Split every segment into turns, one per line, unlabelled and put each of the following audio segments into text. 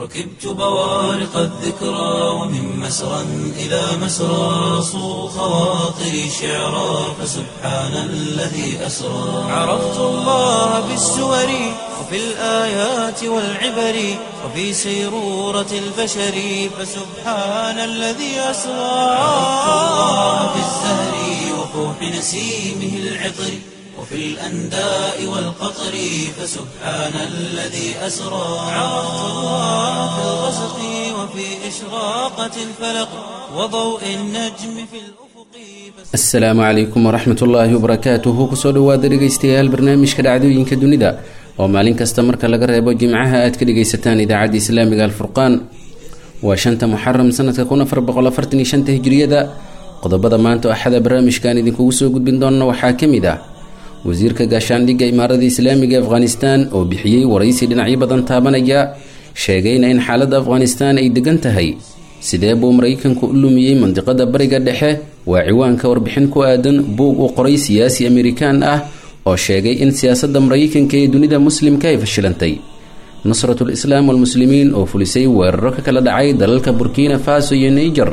ركبت بوارق الذكرى ومن مسرى إلى مسرى صو خواطري شعرا فسبحان الذي أسرى عرفت الله بالسور وفي الآيات والعبر وفي سيرورة البشر فسبحان الذي أسرى عرفت الله بالزهر وفوح نسيمه العطر وفي الأنداء والقطر فسبحان الذي أسرى عرفت الله في الغسق وفي إشراقة الفلق وضوء النجم في الأفق.
Asalaamu calaykum waraxmatullaahi wabarakaatuhu. Kusoo dhawaada dhegeystayaal barnaamijka dhacdooyinka dunida oo maalin kasta marka laga reebo jimcaha aad ka dhegaysataan idaacadda islaamiga Alfurqaan. Waa 5 Muxaram sanadka 1445 hijriyada. Qodobada maanta Axada barnaamijkan idinkugu soo gudbin doona waxaa ka mid ah wasiirka gaashaandhigga Imaarada Islaamiga Afghanistan oo bixiyey waraysi dhinacyo badan taabanaya, sheegayna in xaaladda Afghanistan ay degan tahay. Sidee buu Maraykanku u lumiyey mandiqada Bariga Dhexe? Waa ciwaanka warbixin ku aadan buug uu qoray siyaasi Amerikaan ah oo sheegay in siyaasadda Maraykanka ee dunida muslimka ay fashilantay. Nusratul Islaam walMuslimiin oo fulisay weeraro ka kala dhacay dalalka Burkina Faso iyo Niger,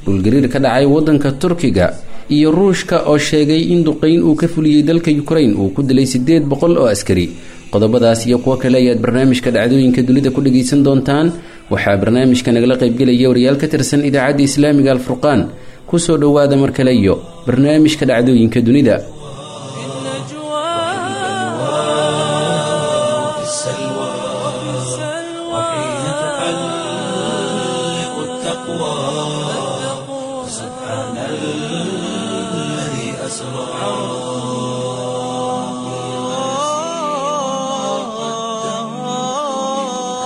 dhulgariir ka dhacay waddanka Turkiga, iyo Ruushka oo sheegay in duqeyn uu ka fuliyey dalka Ukraine uu ku dilay 800 oo askari. Qodobadaas iyo kuwo kale ayaad barnaamijka dhacdooyinka dunida ku dhegaysan doontaan. Waxaa barnaamijka nagala qaybgelaya wariyaal ka tirsan idaacadda islaamiga Alfurqaan. Kusoo dhowaada mar kale iyo barnaamijka dhacdooyinka dunida.
وفي السلوى وحين تحلق التقوى سبحان الذي أسرى.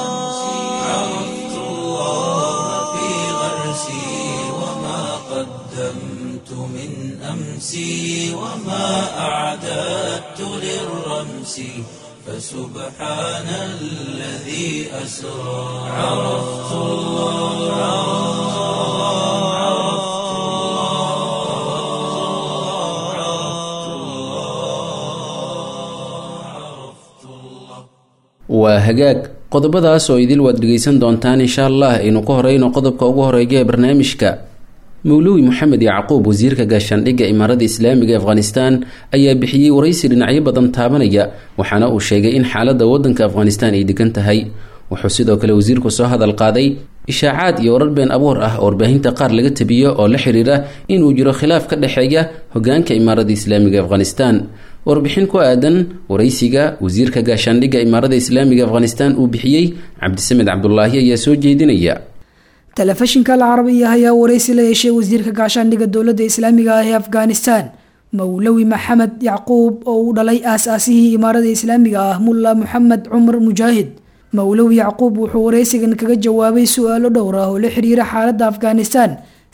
عرفت الله في غرسي وما قدمت من أمسي وما أعددت للرمس فسبحان الذي أسرى. عرفت الله عرفت الله عرفت الله عرفت الله.
Waa hagaag, qodobadaas oo idil waad dhegaysan doontaan insha Allah. Aynu ku horeyno qodobka ugu horeeya ee barnaamijka. Mawluwi Moxamed Yacquub, wasiirka gaashaandhigga Imaarada Islaamiga ee Afghanistan, ayaa bixiyey waraysi dhinacyo badan taabanaya, waxaana uu sheegay in xaaladda waddanka Afghanistan ay degan tahay. Wuxuu sidoo kale wasiirku soo hadal qaaday ishaacaad iyo warar been abuur ah oo warbaahinta qaar laga tabiyo oo la xiriira inuu jiro khilaaf ka dhexeeya hogaanka Imaarada Islaamiga ee Afghanistan. Warbixin ku aadan waraysiga wasiirka gaashaandhigga Imaarada Islaamiga Afghanistan uu bixiyey, Cabdisamed Cabdulaahi ayaa soo jeedinaya.
Telefishinka Alcarabiya ayaa waraysi la yeeshay wasiirka gaashaandhigga dowladda islaamiga ah ee Afghanistan, Mawlawi Maxamed Yacquub, oo uu dhalay aas-aasihii imaarada islaamiga ah, Mulla Moxamed Cumar Mujaahid. Mawlawi Yacquub wuxuu waraysigan kaga jawaabay su-aalo dhowr ah oo la xiriira xaaladda Afghanistan,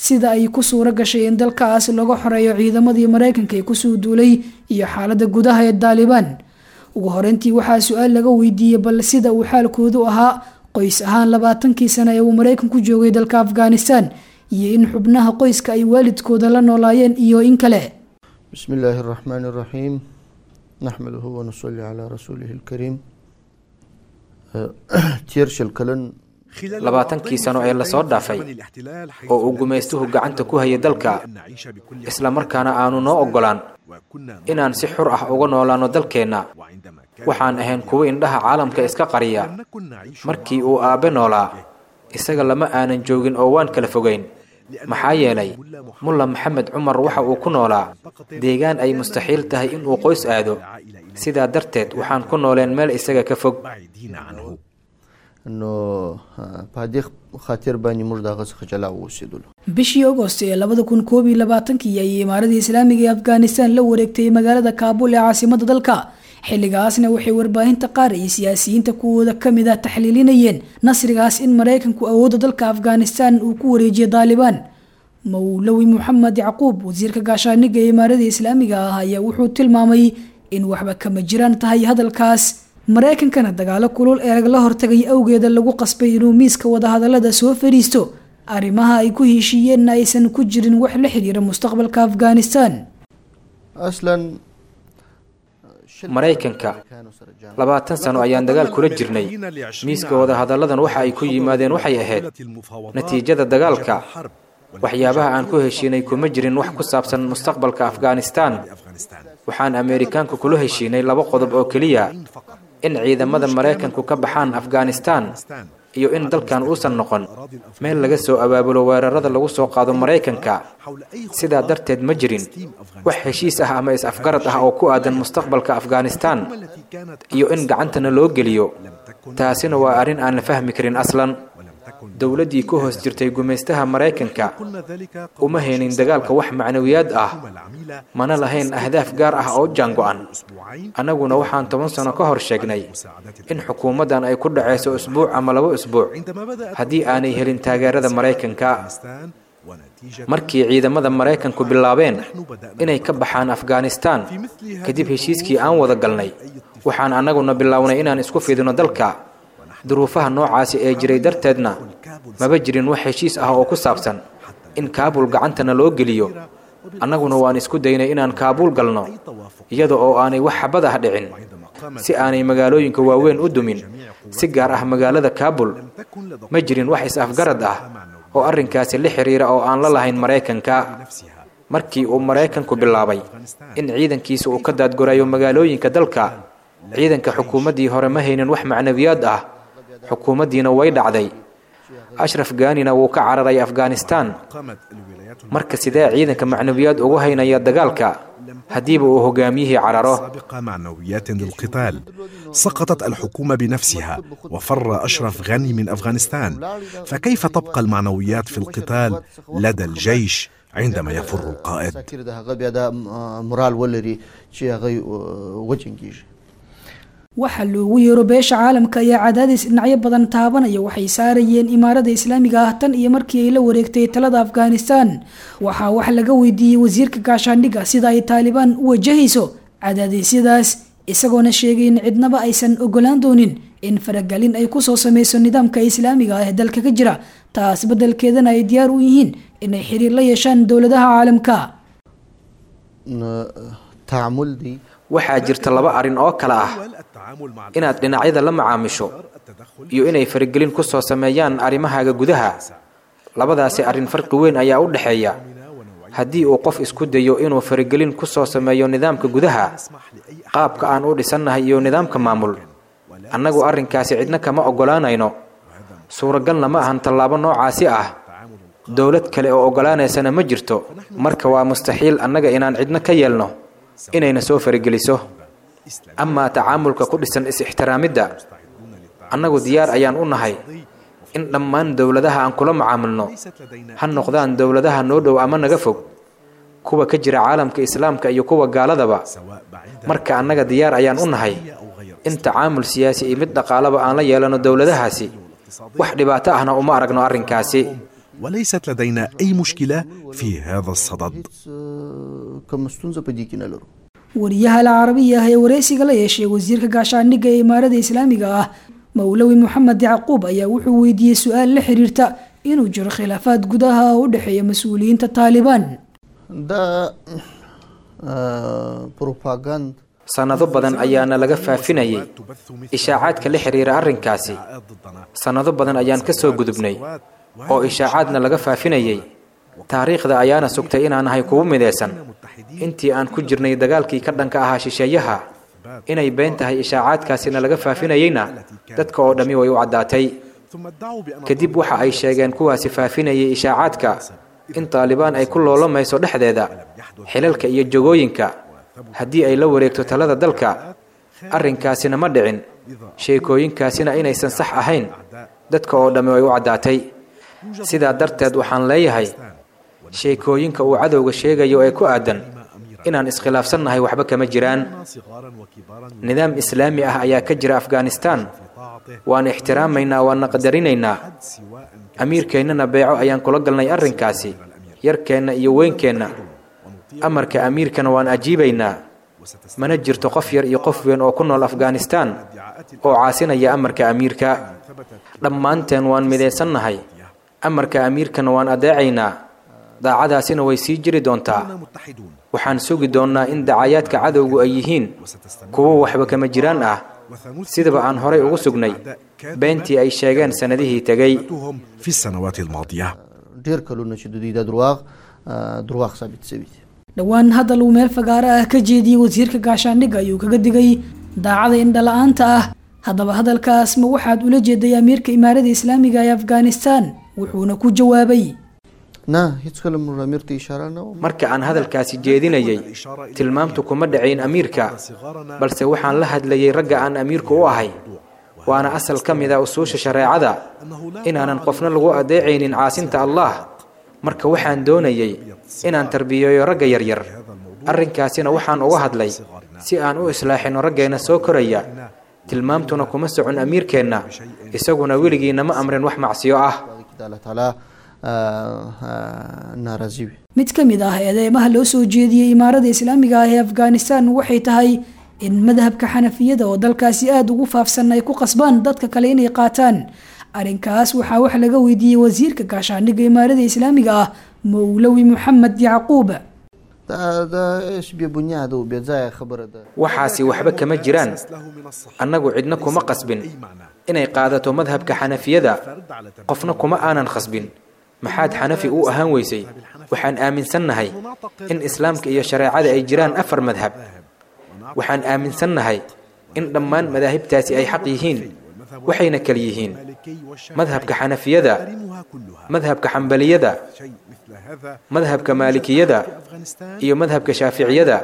sida ay ku suuro gashay in dalkaas laga xoreeyo ciidamadii Maraykanka ee kusoo duulay, iyo xaaladda gudaha ee Daalibaan. Ugu horeyntii waxaa su-aal laga weydiiyey bal sida uu xaalkoodu ahaa qoys ahaan 20kii sano ee uu Maraykanku joogay dalka Afghanistan, iyo in xubnaha qoyska ay waalidkooda la noolaayeen iyo in kale.
بسم الله الرحمن الرحيم، نحمده ونصلي على رسوله الكريم. تير شل
20kii sano ee lasoo dhaafay oo uu gumaystuhu gacanta ku hayay dalka, isla markaana aanu noo oggolaan inaan si xur ah uga noolaanno dalkeenna, waxaan ahayn kuwo indhaha caalamka iska qariya. Markii uu aabbe noolaa, isaga lama aanan joogin oo waan kala fogayn, maxaa yeelay Mulla Maxamed Cumar waxa uu ku noolaa deegaan ay mustaxiil tahay inuu qoys aado. Sidaa darteed waxaan ku nooleen meel isaga ka fog.
نو په دې خاطر باندې موږ دغه څخه جلا اوسېدلو.
Bishii Agost ee 2021kii ayay imaaradii islaamiga ee Afghanistan la wareegtay magaalada Kaabul ee caasimada dalka. Xilligaasna waxay warbaahinta qaar iyo siyaasiyiinta kuwooda ka mid ah taxliilinayeen nasrigaas in Maraykanku awoodda dalka Afghanistan uu ku wareejiyay Daalibaan. Mawlawi Moxamed Yacquub, wasiirka gaashaandhigga ee imaaradii islaamiga ah, ayaa wuxuu tilmaamay in waxba kama jiraan tahay hadalkaas, Maraykankana dagaalo kulul ee lagala hortagay awgeeda lagu qasbay inuu miiska wadahadalada soo fadhiisto, arrimaha ay ku heshiiyeenna aysan ku jirin wax la xiriira mustaqbalka Afghanistan.
اصلا.
Maraykanka 20 sano ayaan dagaal kula jirnay. Miiska wadahadalladan waxa ay ku yimaadeen waxay ahayd natiijada dagaalka. Waxyaabaha aan ku heshiinay kuma jirin wax ku saabsan mustaqbalka Afghanistan. Waxaan Ameerikaanku kula heshiinay 2 qodob oo keliya: in ciidamada Maraykanku ka baxaan Afghanistan iyo in dalkan uusan noqon meel laga soo abaabulo weerarada lagu soo qaado Maraykanka. Sidaa darteed ma jirin wax heshiis ah ama is-afgarad ah oo ku aadan mustaqbalka Afghanistan iyo in gacantana loo geliyo. Taasina waa arrin aan la fahmi karin aslan. Dowladdii ku hoos jirtay gumaystaha Maraykanka uma haynin dagaalka wax macnawiyaad ah, mana lahayn ahdaaf gaar ah oo jaango'an. Annaguna waxaan 10 sano ka hor sheegnay in xukuumaddan ay ku dhacayso usbuuc ama 2 usbuuc haddii aanay helin taageerada Maraykanka. Markii ciidamada Maraykanku bilaabeen inay ka baxaan Afghanistan kadib heshiiskii aan wada galnay, waxaan annaguna bilownay inaan isku fidino dalka. Duruufaha noocaasi ee jiray darteedna maba jirin wax heshiis ah oo ku saabsan in Kaabul gacantana loo geliyo. Annaguna waan isku daynay inaan Kaabul galno iyada oo aanay wax xabad ah dhicin, si aanay magaalooyinka waaweyn u dumin, si gaar ah magaalada Kaabul. Ma jirin wax is-afgarad ah oo arrinkaasi la xiriira oo aan la lahayn Maraykanka. Markii uu Maraykanku bilaabay in ciidankiisa uu ka daadgorayo magaalooyinka dalka, ciidanka xukuumaddii hore ma haynin wax macnawiyaad ah. Xukuumaddiina way dhacday. Ashraf Ghanina wuu ka cararay Afghanistan. Marka sidee ciidanka macnawiyaad ugu haynaya dagaalka haddiiba uu hogaamiyihii cararo?
معنويات للقتال. سقطت الحكومة بنفسها وفر أشرف غني من أفغانستان، فكيف تبقى المعنويات في القتال لدى الجيش عندما يفر القائد؟
Waxa loogu yeero beesha caalamka ayaa cadaadis dhinacyo badan taabanaya waxay saarayeen imaarada islaamiga ah tan iyo markii ay la wareegtay talada Afghanistan. Waxaa wax laga weydiiyey wasiirka gaashaandhigga sida ay Taalibaan u wajahayso cadaadisyadaas, isagoona sheegay in cidnaba aysan ogolaan doonin in faragelin ay kusoo sameyso nidaamka islaamiga ah ee dalka ka jira, taas beddelkeedana ay diyaar u yihiin inay xiriir la yeeshaan dowladaha caalamka.
Waxaa jirta 2 arrin oo kale ah: inaad dhinacyada la macaamisho iyo inay faragelin ku soo sameeyaan arrimahaaga gudaha. Labadaasi arrin farqi weyn ayaa u dhexeeya. Haddii uu qof isku dayo inuu faragelin ku soo sameeyo nidaamka gudaha, qaabka aan u dhisannahay iyo nidaamka maamul, annagu arrinkaasi cidna kama oggolaanayno. Suuragalna ma ahan tallaabo noocaasi ah. Dowlad kale oo oggolaanaysana ma jirto. Marka waa mustaxiil annaga inaan cidna ka yeelno inayna soo farageliso. Amaa tacaamulka ku dhisan is-ixtiraamidda, annagu diyaar ayaan u nahay in dhammaan dowladaha aan kula macaamilno, ha noqdaan dowladaha noo dhow ama naga fog, kuwa ka jira caalamka islaamka iyo kuwa gaaladaba. Marka annaga diyaar ayaan u nahay in tacaamul siyaasi iyo mid dhaqaalaba aan la yeelano dowladahaasi. Wax dhibaato ahna uma aragno arrinkaasi.
وليست لدينا أي مشكلة في هذا الصدد.
Wariyaha Alcarabiya ee wareysiga la yeeshay wasiirka gaashaandhigga ee imaarada islaamiga ah Mawlawi Maxamed Yacquub ayaa wuxuu weydiiyey su-aal la xiriirta inuu jiro khilaafaad gudaha oo u dhexeeya mas-uuliyiinta Taalibaan.
Sannado badan ayaana laga faafinayay ishaacaadka la xiriira arrinkaasi. Sannado badan ayaan ka soo gudubnay oo ishaacaadna laga faafinayay. Taariikhda ayaana sugtay inaan ahay kugu midaysan intii aan ku jirnay dagaalkii ka dhanka ahaa shisheeyaha. Inay been tahay ishaacaadkaasina laga faafinayeyna dadka oo dhammi way u caddaatay. Kadib waxa ay sheegeen kuwaasi faafinayay ishaacaadka in Taalibaan ay ku loolamayso dhexdeeda xilalka iyo jogooyinka haddii ay la wareegto talada dalka. Arrinkaasina ma dhicin, sheekooyinkaasina inaysan sax ahayn dadka oo dhammi way u caddaatay. Sidaa darteed waxaan leeyahay sheekooyinka uu cadowga sheegayo ee ku aadan inaan iskhilaafsannahay waxba kama jiraan. Nidaam islaami ah ayaa ka jira Afghanistan. Waan ixtiraamaynaa, waana qadarinaynaa. Amiirkeennana beeco ayaan kula galnay arrinkaasi, yarkeenna iyo weynkeenna. Amarka amiirkana waan ajiibaynaa. Mana jirto qof yar iyo qof weyn oo ku nool Afghanistan oo caasinaya amarka amiirka. Dhammaanteen waan midaysannahay, amarka amiirkana waan adeecaynaa. Daacadaasina way sii jiri doontaa. Waxaan sugi doonnaa in dacayaadka cadowgu ay yihiin kuwo waxba kama jiraan ah, sidaba aan horay ugu sugnay beentii ay sheegeen sannadihii tegey.
في السنوات الماضية.
ډیر کلونه چې د دوی دا درواغ درواغ ثابت شوي دي.
Dhowaan hadal uu meel fagaaro ah ka jeediyey wasiirka gaashaandhigga ayuu kaga digay daacada indhala-aanta ah. Haddaba hadalkaas ma waxaad ula jeeday amiirka imaarada islaamiga ee Afghanistan? Wuxuuna ku jawaabay:
نه، هیڅکله موږ امیر ته اشاره نه وه.
Marka aan hadalkaasi jeedinayay, tilmaamtu kuma dhacayn amiirka, balse waxaan la hadlayay ragga aan amiirku u ahay. Waana asal ka mid a usuusha shareecada inaanan qofna lagu adeecaynin caasinta Allah. Marka waxaan doonayay inaan tarbiyeeyo ragga yaryar. Arrinkaasina waxaan uga hadlay si aan u islaaxino raggeenna soo koraya. Tilmaamtuna kuma socon amiirkeenna, isaguna weligiina ma amrin wax macsiyo ah.
کې د الله تعالی ناراضي وي.
Mid ka mid ah eedeymaha loo soo jeediyey imaarada islaamiga ah ee Afghanistan waxay tahay in madhabka Xanafiyada oo dalkaasi aada ugu faafsan ay ku qasbaan dadka kale inay qaataan. Arrinkaas waxaa wax laga weydiiyey wasiirka gaashaandhigga imaarada islaamiga ah, Mowlawi Moxamed Yacquub.
دا دا هیڅ بې بنیاده او بې ځایه خبره ده.
Waxaasi waxba kama jiraan. Annagu cidna kuma qasbin inay qaadato madhabka Xanafiyada, qofna kuma aanan khasbin maxaad Xanafi u ahaan weysay. Waxaan aaminsannahay in islaamka iyo shareecada ay jiraan afar madhab. Waxaan aaminsannahay in dhammaan madaahibtaasi ay xaq yihiin, waxayna kala yihiin madhabka Xanafiyada, madhabka Xambaliyada, madhabka Maalikiyada iyo madhabka Shaaficiyada.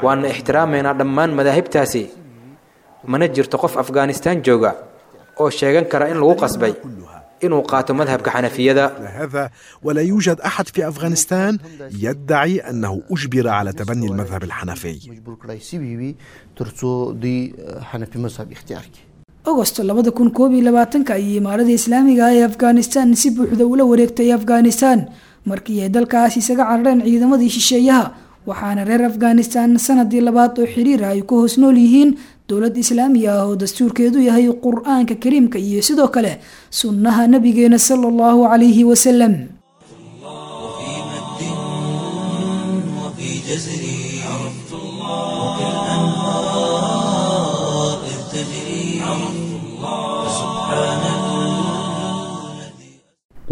Waana ixtiraamaynaa dhammaan madaahibtaasi, mana jirto qof Afghanistan jooga oo sheegan kara in lagu qasbay inuu qaato madhabka Xanafiyada.
هذا ولا يوجد أحد في أفغانستان يدعي أنه أجبر على تبني المذهب الحنفي.
مجبور کړای شوي وي ترڅو دوی حنفي مذهب اختیار کړي.
Agosto 2021-ka ayay imaarada islaamiga ah ee Afghanistan si buuxda ula wareegtay Afghanistan markii ay dalkaas isaga carareen ciidamadii shisheeyaha, waxaana reer Afghanistan sanadii labaad oo xiriir ah ay ku hoos nool yihiin dowlad islaami ah oo dastuurkeedu yahay Qur-aanka Kariimka iyo sidoo kale sunnaha nabigeena sala Allahu calayhi wasalam.
وفي مد وفي جزر، عرفت الله وكالأنهار إذ تجري، عرفت الله سبحان الذي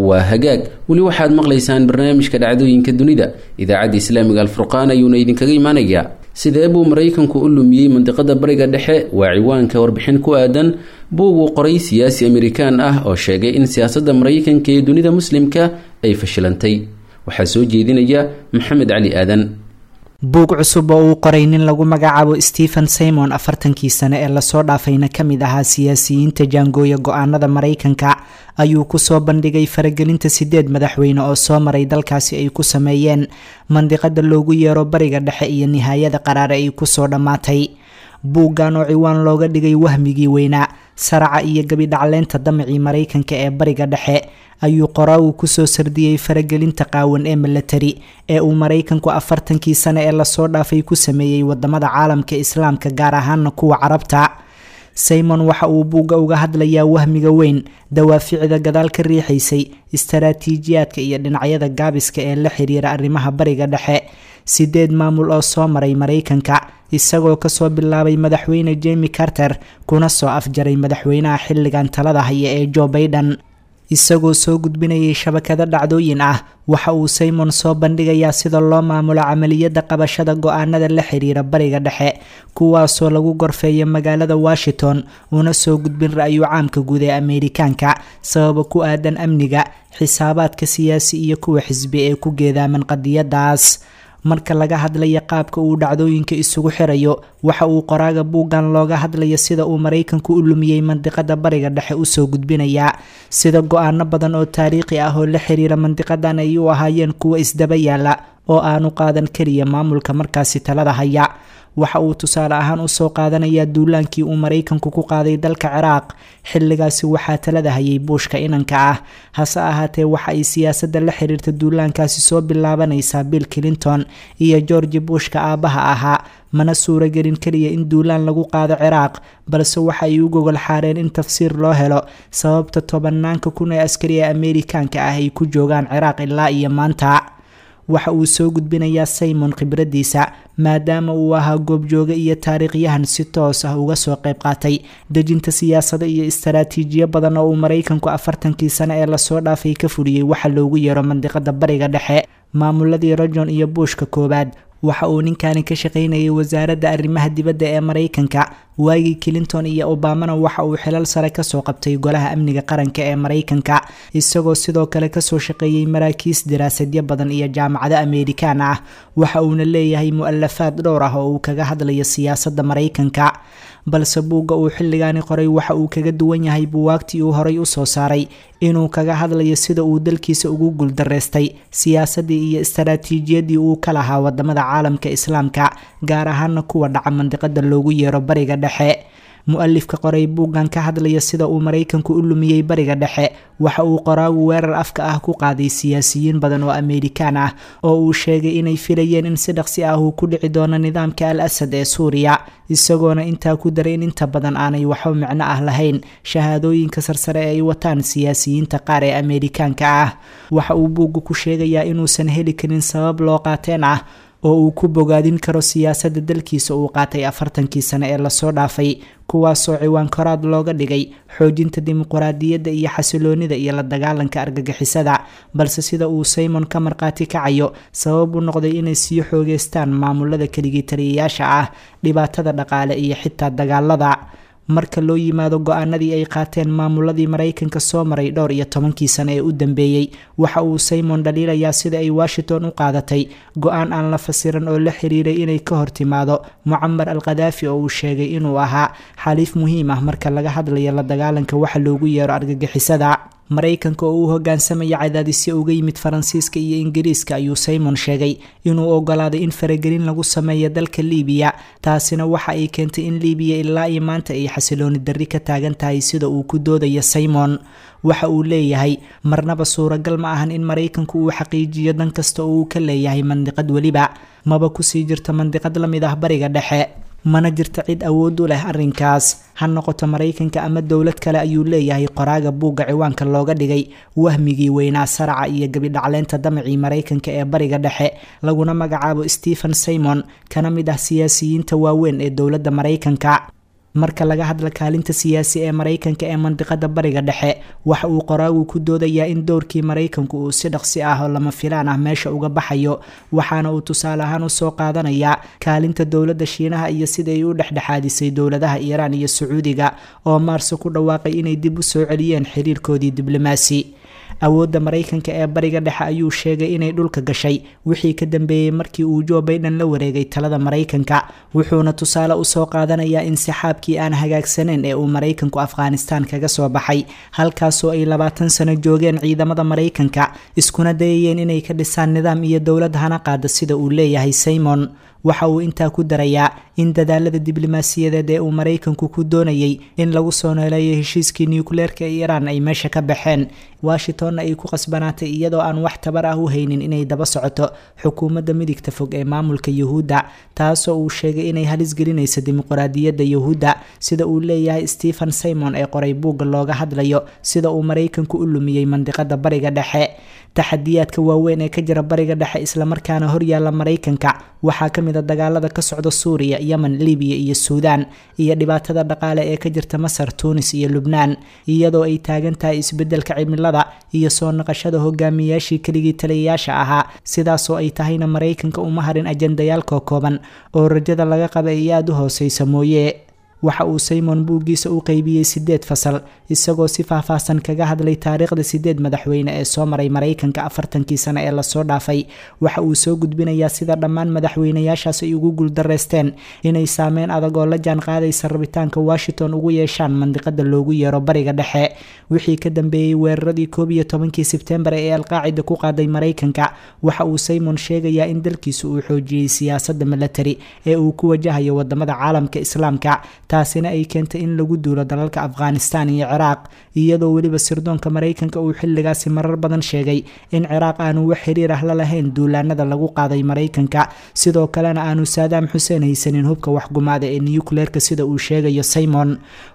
Waa hagaag, weli waxaad maqlaysaan barnaamijka dhacdooyinka dunida, idaacadda islaamiga Alfurqaan ayuuna idinkaga imanayaa. Sidee buu Maraykanku u lumiyey mandiqada Bariga Dhexe? Waa ciwaanka warbixin ku aadan buug uu qoray siyaasi Amerikaan ah oo sheegay in siyaasadda Maraykanka ee dunida muslimka ay fashilantay. Waxaa soo jeedinaya Maxamed Cali Aadan.
Buug cusub oo uu qoray nin lagu magacaabo Stephen Simon, 40-kii sane ee lasoo dhaafayna ka mid ahaa siyaasiyiinta jaangooya go-aanada Maraykanka, ayuu kusoo bandhigay faragelinta sideed madaxweyne oo soo maray dalkaasi ay ku sameeyeen mandiqada loogu yeero Bariga Dhexe iyo nihaayada qaraare ay kusoo dhammaatay. Buuggan oo ciwaan looga dhigay "Wahmigii weynaa, saraca iyo gabidhacleynta damacii Maraykanka ee Bariga Dhexe" ayuu qoraagu kusoo sardiyey faragelinta qaawan ee milatari ee uu Maraykanku 40-kii sane ee lasoo dhaafay ku sameeyey wadamada caalamka islaamka, gaar ahaana kuwa Carabta. Simon waxa uu buugga uga hadlayaa wahmiga weyn, dawaaficda gadaal ka riixaysay, istaraatiijiyaadka iyo dhinacyada gaabiska ee la xiriira arrimaha Bariga Dhexe, sideed maamul oo soo maray Maraykanka, isagoo kasoo bilaabay madaxweyne Jemi Carter kuna soo afjaray madaxweynaha xilligan talada haya ee Joe Biden. Isagoo soo gudbinayay shabakado dhacdooyin ah, waxa uu Simon soo bandhigayaa sida loo maamulo camaliyada qabashada go-aanada la xiriira Bariga Dhexe, kuwaasoo lagu gorfeeyo magaalada Washington, una soo gudbin ra-yu caamka guud ee Ameerikaanka sababa ku aadan amniga, xisaabaadka siyaasi iyo kuwa xisbi ee ku geedaaman qadiyadaas. Marka laga hadlaya qaabka uu dhacdooyinka isugu xirayo, waxa uu qoraaga buuggan looga hadlaya sida uu Maraykanku u lumiyey mandiqada Bariga Dhexe usoo gudbinayaa sida go-aano badan oo taariikhi ah oo la xiriira mandiqadan ay u ahaayeen kuwa isdaba yaala oo aanu qaadan keliya maamulka markaasi talada haya. Waxa uu tusaale ahaan usoo qaadanayaa duulaankii uu Maraykanku ku qaaday dalka Ciraaq. Xilligaasi waxaa talada hayay Buushka inanka ah, hase ahaatee waxa ay siyaasadda la xiriirta duulaankaasi soo bilaabanaysaa Bill Clinton iyo Georgi Buushka aabaha ahaa. Mana suuragelin keliya in duulaan lagu qaado Ciraaq, balse waxa ay u gogol xaareen in tafsiir loo helo sababta tobanaanka kun ee askari ee Ameerikaanka ah ay ku joogaan Ciraaq ilaa iyo maanta. Waxa uu soo gudbinayaa Simon khibraddiisa, maadaama uu ahaa goobjooge iyo taariikhyahan si toos ah uga soo qayb qaatay dejinta siyaasado iyo istaraatiijiyo badan oo uu Maraykanku 40kii sano ee lasoo dhaafay ka fuliyey waxa loogu yeero mandiqada Bariga Dhexe, maamuladii Rajon iyo Buushka koowaad. Waxa uu ninkani ka shaqaynayay wasaaradda arrimaha dibadda ee Maraykanka waagii Clinton iyo Obamana. Waxa uu xilal sare kasoo qabtay Golaha Amniga Qaranka ee Maraykanka, isagoo sidoo kale kasoo shaqeeyey maraakiis daraasadyo badan iyo jaamacado Ameerikaan ah. Waxa uuna leeyahay mu-alafaad dhowr ah oo uu kaga hadlayo siyaasadda Maraykanka. Balse buugga uu xilligaani qoray waxa uu kaga duwan yahay buwaagtii uu horay usoo saaray inuu kaga hadlayo sida uu dalkiisa ugu guuldareystay siyaasaddii iyo istaraatiijiyadii uu ka lahaa wadamada caalamka Islaamka, gaar ahaana kuwa dhaca mandiqada loogu yeero Bariga Dhexe. Mu-alifka qoray buuggan ka hadlaya sida uu Maraykanku u lumiyey Bariga Dhexe, waxa uu qoraagu weerar afka ah ku qaaday siyaasiyiin badan oo Ameerikaan ah oo uu sheegay inay filayeen in si dhaqsi ah uu ku dhici doono nidaamka Al Asad ee Suuriya, isagoona intaa ku daray in inta badan aanay waxba micno ah lahayn shahaadooyinka sarsare ee ay wataan siyaasiyiinta qaar ee Ameerikaanka ah. Waxa uu buuggu ku sheegayaa inuusan heli karin sabab loo qaateen ah oo uu ku bogaadin karo siyaasadda dalkiisa uu qaatay 40kii sano ee lasoo dhaafay, kuwaasoo ciwaan koraad looga dhigay xoojinta dimuquraadiyadda iyo xasiloonida iyo la dagaalanka argagixisada. Balse sida uu Simon ka markhaati kacayo, sabab u noqday inay sii xoogeystaan maamulada keligii taliyayaasha ah, dhibaatada dhaqaale iyo xitaa dagaalada. Marka loo yimaado go-aanadii ay qaateen maamuladii Maraykanka soo maray dhowr iyo tobankii sano ee u dambeeyey, waxa uu Simon dhaliilayaa sida ay Washington u qaadatay go-aan aan la fasiran oo la xiriiray inay ka hor timaado Mucamar al Khadaafi, oo uu sheegay inuu ahaa xaliif muhiim ah marka laga hadlayo la dagaalanka waxa loogu yeero argagixisada. Maraykanka oo uu hogaansamaya cadaadisyo uga yimid Faransiiska iyo Ingiriiska ayuu Simon sheegay inuu ogolaaday in faragelin lagu sameeyo dalka Liibiya. Taasina waxa ay keentay in Liibiya ilaa iyo maanta ay xasilooni darri ka taagan tahay, sida uu ku doodayo Simon. Waxa uu leeyahay, marnaba suuragal ma ahan in Maraykanku uu xaqiijiyo dan kasta oo uu ka leeyahay mandiqad weliba, maba kusii jirto mandiqad la mid ah Bariga Dhexe, mana jirto cid awood u leh arrinkaas, ha noqoto Maraykanka ama dowlad kale, ayuu leeyahay qoraaga buugga ciwaanka looga dhigay Wahmigii Weynaa, Saraca iyo Gabidhacleynta Damacii Maraykanka ee Bariga Dhexe, laguna magacaabo Stephen Simon, kana mid ah siyaasiyiinta waaweyn ee dowladda Maraykanka. Marka laga hadla kaalinta siyaasi ee Maraykanka ee mandiqada Bariga Dhexe, waxa uu qoraagu ku doodayaa in dowrkii Maraykanku uu si dhaqsi ah oo lama filaan ah meesha uga baxayo. Waxaana uu tusaale ahaan usoo qaadanayaa kaalinta dowladda Shiinaha iyo sida ay u dhexdhexaadisay dowladaha Iiraan iyo Sacuudiga oo Maarso ku dhawaaqay inay dib u soo celiyeen xiriirkoodii diblomaasi. Awoodda Maraykanka ee Bariga Dhexe ayuu sheegay inay dhulka gashay wixii ka dambeeyey markii uu Joe Biden la wareegay talada Maraykanka. Wuxuuna tusaale usoo qaadanayaa insixaabkii aan hagaagsaneyn ee uu Maraykanku Afghanistan kaga soo baxay, halkaasoo ay 20 sano joogeen ciidamada Maraykanka, iskuna dayayeen inay ka dhisaan nidaam iyo dowlad hana qaada, sida uu leeyahay Simon. Waxa uu intaa ku darayaa in dadaalada diblomaasiyadeed ee uu Maraykanku ku doonayay in lagu soo nooleeyo heshiiskii nukleerka ee Iiraan ay meesha ka baxeen, Washingtonna ay ku qasbanaatay iyadoo aan wax tabar ah u haynin inay daba socoto xukuumadda midigta fog ee maamulka Yuhuudda, taasoo uu sheegay inay halis gelinayso dimuqraadiyadda Yuhuudda, sida uu leeyahay Stephen Simon ee qoray buugga looga hadlayo sida uu Maraykanku u lumiyey mandiqada Bariga Dhexe. Taxadiyaadka waaweyn ee ka jira Bariga Dhexe islamarkaana horyaala Maraykanka waxaa ka mid a dagaalada ka socda Suuriya, Yemen, Libiya iyo Suudaan, iyo dhibaatada dhaqaale ee ka jirta Masar, Tuunis iyo Lubnaan, iyadoo ay taagan tahay isbedelka cimilada iyo soo naqashada hogaamiyaashii keligii taliyayaasha ahaa. Sidaasoo ay tahayna, Maraykanka uma harin ajendayaal kookooban oo rajada laga qaba ay aada u hooseysa mooye. Waxa uu Simon buuggiisa u qeybiyey 8 fasal, isagoo si faahfaahsan kaga hadlay taariikhda 8 madaxweyne ee soo maray Maraykanka 40kii sano ee lasoo dhaafay. Waxa uu soo gudbinayaa sida dhammaan madaxweynayaashaas ay ugu guuldareysteen inay saameyn adag oo la jaan qaadaysa rabitaanka Washington ugu yeeshaan mandiqada loogu yeero Bariga Dhexe wixii ka dambeeyey weeraradii 11kii Sebtembar ee Alqaacida ku qaaday Maraykanka. Waxa uu Simon sheegayaa in dalkiisu uu xoojiyey siyaasadda milatari ee uu ku wajahayo wadamada caalamka Islaamka, taasina ay keentay in lagu duulo dalalka Afghanistan iyo Ciraaq, Iyadoo weliba sirdoonka Maraykanka uu xilligaasi marar badan sheegay in Ciraaq aanu wax xiriir ah la lahayn duulaanada lagu qaaday Maraykanka, sidoo kalena aanu Saadaam Xuseen haysanin hubka waxgumaada ee niyukleerka, sida uu sheegayo Simon.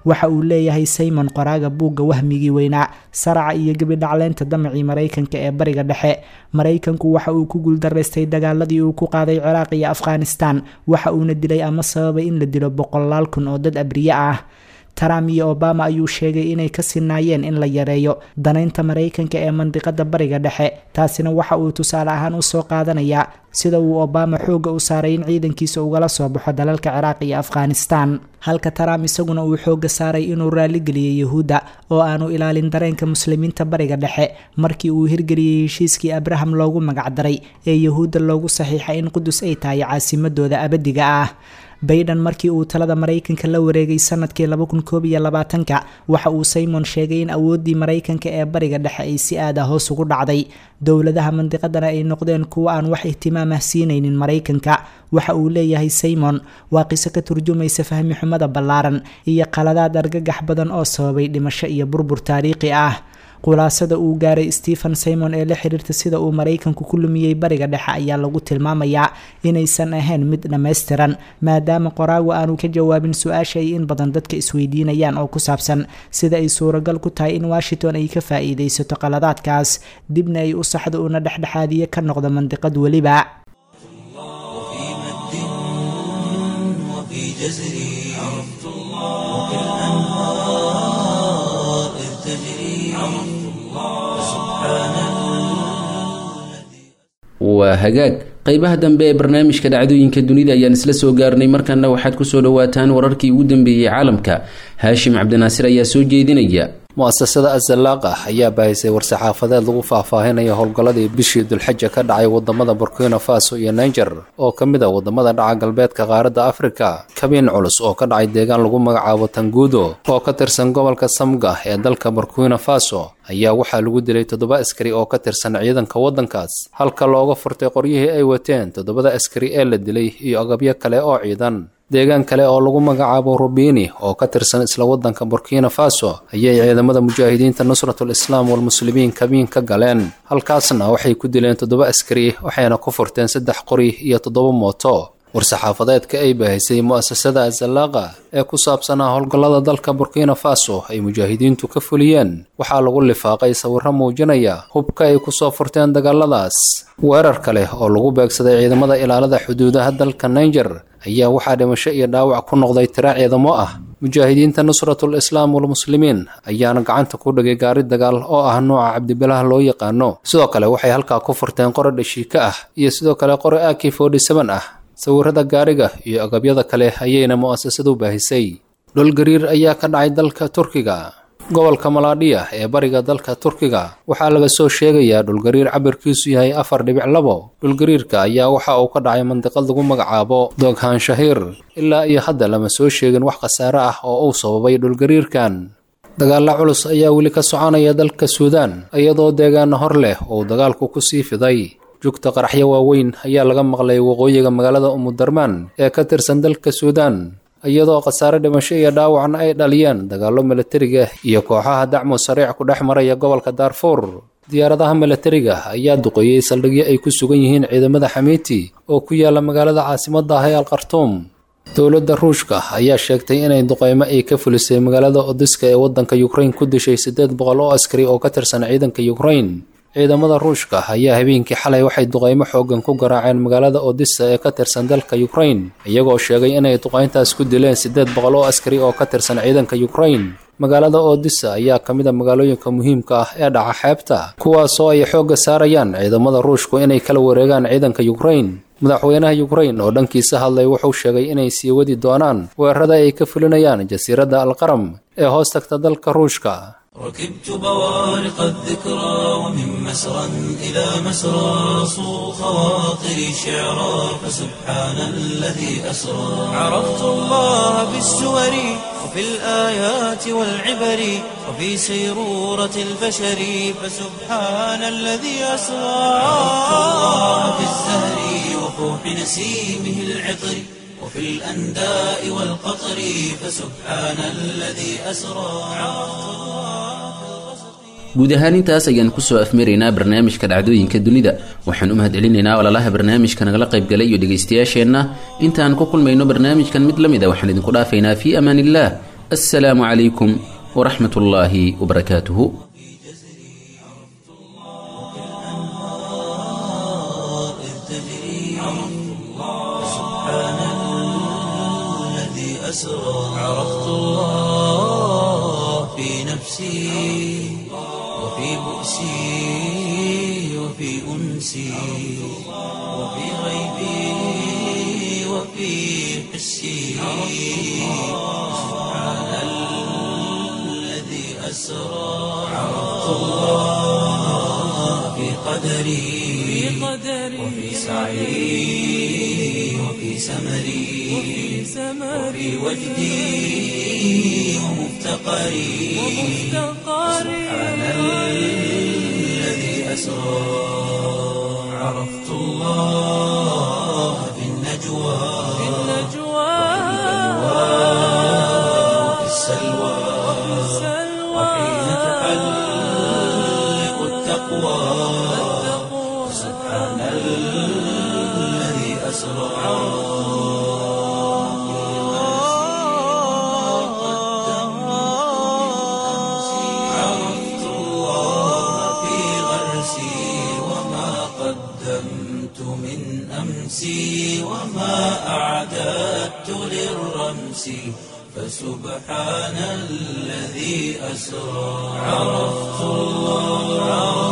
Waxa uu leeyahay Simon, qoraaga buugga Wahmigii Weynaa, Saraca iyo Gebidhacleynta Damacii Maraykanka ee Bariga Dhexe, Maraykanku waxa uu ku guuldaraystay dagaaladii uu ku qaaday Ciraaq iyo Afghanistan, waxa uuna dilay ama sababay in la dilo boqolaal kun oo dad abriye ah. Trump iyo Obama ayuu sheegay inay ka sinaayeen in la yareeyo danaynta Maraykanka ee mandiqada Bariga Dhexe. Taasina waxa uu tusaale ahaan usoo qaadanayaa sida uu Obama xoogga u saaray in ciidankiisa ugala soo baxo dalalka Ciraaq iyo Afghanistan, halka Trump isaguna uu xoogga saaray inuu raaligeliyey Yahuudda oo aanu ilaalin dareenka Muslimiinta Bariga Dhexe markii uu hirgeliyey heshiiskii Abraham loogu magacdaray ee Yahuudda loogu saxiixay in Qudus ay tahay caasimadooda abadiga ah. Bayden markii uu talada Maraykanka la wareegay sanadkii 2021-ka, waxa uu Simon sheegay in awooddii Maraykanka ee Bariga Dhexe ay si aada hoos ugu dhacday, dowladaha mandiqadana ay noqdeen kuwo aan wax ihtimaam ah siinaynin Maraykanka. Waxa uu leeyahay Simon, waa qiso ka turjumaysa fahmi xumada ballaaran iyo qaladaad argagax badan oo sababay dhimasho iyo burbur taariikhi ah. Khulaasada uu gaaray Stephen Simon ee la xiriirta sida uu Maraykanku ku lumiyey Bariga Dhexe ayaa lagu tilmaamayaa inaysan ahayn mid dhammaystiran, maadaama qoraagu aanu ka jawaabin su-aasha ay in badan dadka isweydiinayaan oo ku saabsan sida ay suuragal ku tahay in Washington ay ka faa-iideysato qaladaadkaas, dibna ay u saxdo una dhexdhexaadiye ka noqdo mandiqad weliba.
وفي مد وفي جزر، عرفت الله وفي الأنهار إذ تجري، عرفت الله سبحان الذي
Waa hagaag, qeybaha dambe ee barnaamijka Dhacdooyinka Dunida ayaan isla soo gaarnay. Markanna waxaad kusoo dhawaataan wararkii ugu dambeeyey caalamka. Haashim Cabdinaasir ayaa soo jeedinaya.
Mu'asasada Azalaaqa ayaa baahisay war-saxaafadeed lagu faahfaahinayo howlgalladii bishii Dulxaja ka dhacay wadamada Burkina Faso iyo Niger oo ka mid a wadamada dhaca galbeedka qaaradda Afrika. Kabiin culus oo ka dhacay deegaan lagu magacaabo Tangudo oo ka tirsan gobolka Samga ee dalka Burkina Faso ayaa waxaa lagu dilay 7 askari oo ka tirsan ciidanka waddankaas, halka looga furtay qoryihii ay wateen 7da askari ee la dilay iyo agabyo kale oo ciidan. Deegaan kale oo lagu magacaabo Rubini oo ka tirsan isla waddanka Burkina Faso ayay ciidamada mujaahidiinta Nusratul Islaam walMuslimiin kabiin ka galeen, halkaasna waxay ku dileen 7 askari, waxayna ku furteen 3 qori iyo 7 mooto. War-saxaafadeedka ay baahisay mu'asasada Azalaaqa ee ku saabsanaa howlgallada dalka Burkina Faso ay mujaahidiintu ka fuliyeen waxaa lagu lifaaqay sawirro muujinaya hubka ay kusoo furteen dagaaladaas. Weerar kale oo lagu beegsaday ciidamada ilaalada xuduudaha dalka Niger ayaa waxaa dhimasho iyo dhaawac ku noqday tiro ciidamo ah. Mujaahidiinta Nusratul Islaam walMuslimiin ayaana gacanta ku dhigay gaari dagaal oo ah nooca cabdibilaha loo yaqaano. Sidoo kale waxay halkaa ku furteen qori dhashiika ah iyo sidoo kale qori AK ah. Sawirada gaariga iyo agabyada kale ayayna mu'asasadu baahisay. Dhulgariir ayaa ka dhacay dalka Turkiga. Gobolka Malaadhiya ee bariga dalka Turkiga waxaa laga soo sheegayaa dhulgariir cabirkiisu yahay 4.2. Dhulgariirka ayaa waxa uu ka dhacay mandiqad lagu magacaabo Doghan Shahiir. Ilaa iyo hadda lama soo sheegin wax khasaare ah oo uu sababay dhulgariirkan. Dagaalla culus ayaa weli ka soconaya dalka Suudaan, iyadoo deegaano hor leh uu dagaalku kusii fiday. Jugta qaraxyo waaweyn ayaa laga maqlay waqooyiga magaalada Umudarmaan ee ka tirsan dalka Suudaan, iyadoo khasaare dhimasho iyo dhaawacna ay dhaliyeen dagaallo milatariga iyo kooxaha dacmu sariic ku dhex maraya gobolka Daarfuur. Diyaaradaha milatariga ayaa duqeeyey saldhigyo ay ku sugan yihiin ciidamada Xamiiti oo ku yaala magaalada caasimadda ah ee Alkhartuum. Dowladda Ruushka ayaa sheegtay inay duqeymo ay ka fulisay magaalada Odiska ee waddanka Ukraine ku dishay 800 oo askari oo ka tirsan ciidanka Ukraine. Ciidamada Ruushka ayaa habeenkii xalay waxay duqeymo xooggan ku garaaceen magaalada Odessa ee ka tirsan dalka Ukraine, iyagoo sheegay inay duqeyntaas ku dileen 800 oo askari oo ka tirsan ciidanka Ukraine. Magaalada Odessa ayaa ka mid a magaalooyinka muhiimka ah ee dhaca xeebta, kuwaasoo ay xoogga saarayaan ciidamada Ruushku inay kala wareegaan ciidanka Ukraine. Madaxweynaha Ukraine oo dhankiisa hadlay wuxuu sheegay inay sii wadi doonaan weerarada ay ka fulinayaan jasiiradda Alqaram ee hoos tagta dalka Ruushka.
ركبت بوارق الذكرى ومن مسرى إلى مسرى صو خواطري شعرا، فسبحان الذي أسرى. عرفت الله بالسور وفي الآيات والعبر وفي سيرورة البشر، فسبحان الذي أسرى. عرفت الله بالزهر وفوح نسيمه العطر وفي الأنداء والقطر، فسبحان الذي أسرى. عرفت الله.
Guud ahaan intaas ayaan kusoo afmaraynaa barnaamijka dhacdooyinka dunida. Waxaan u mahadcelinaynaa walaalaha barnaamijka nagala qaybgalay iyo dhegaystayaasheenna. Intaan ku kulmayno barnaamijkan mid la mid a, waxaan idinku dhaafaynaa fii amaan illah. Assalaamu calaykum waraxmat ullaahi wabarakaatuhu.
إذ تجري سبحان الذي أسرى. عرفت الله في نفسي وفي بؤسي وفي أنسي وفي غيبي وفي حسي. سبحان الذي أسرى. عرفت الله في قدري وفي سعي وفي سمري وفي وجدي ومفتقري. سبحان الذي أسرى. عرفت الله في النجوى وفي السلوى وحين تحلق التقوى. سبحان الذي أسرى. عرفت الله في غرسي وما قدمت من أمسي وما أعددت للرمس، فسبحان الذي أسرى. عرفت الله.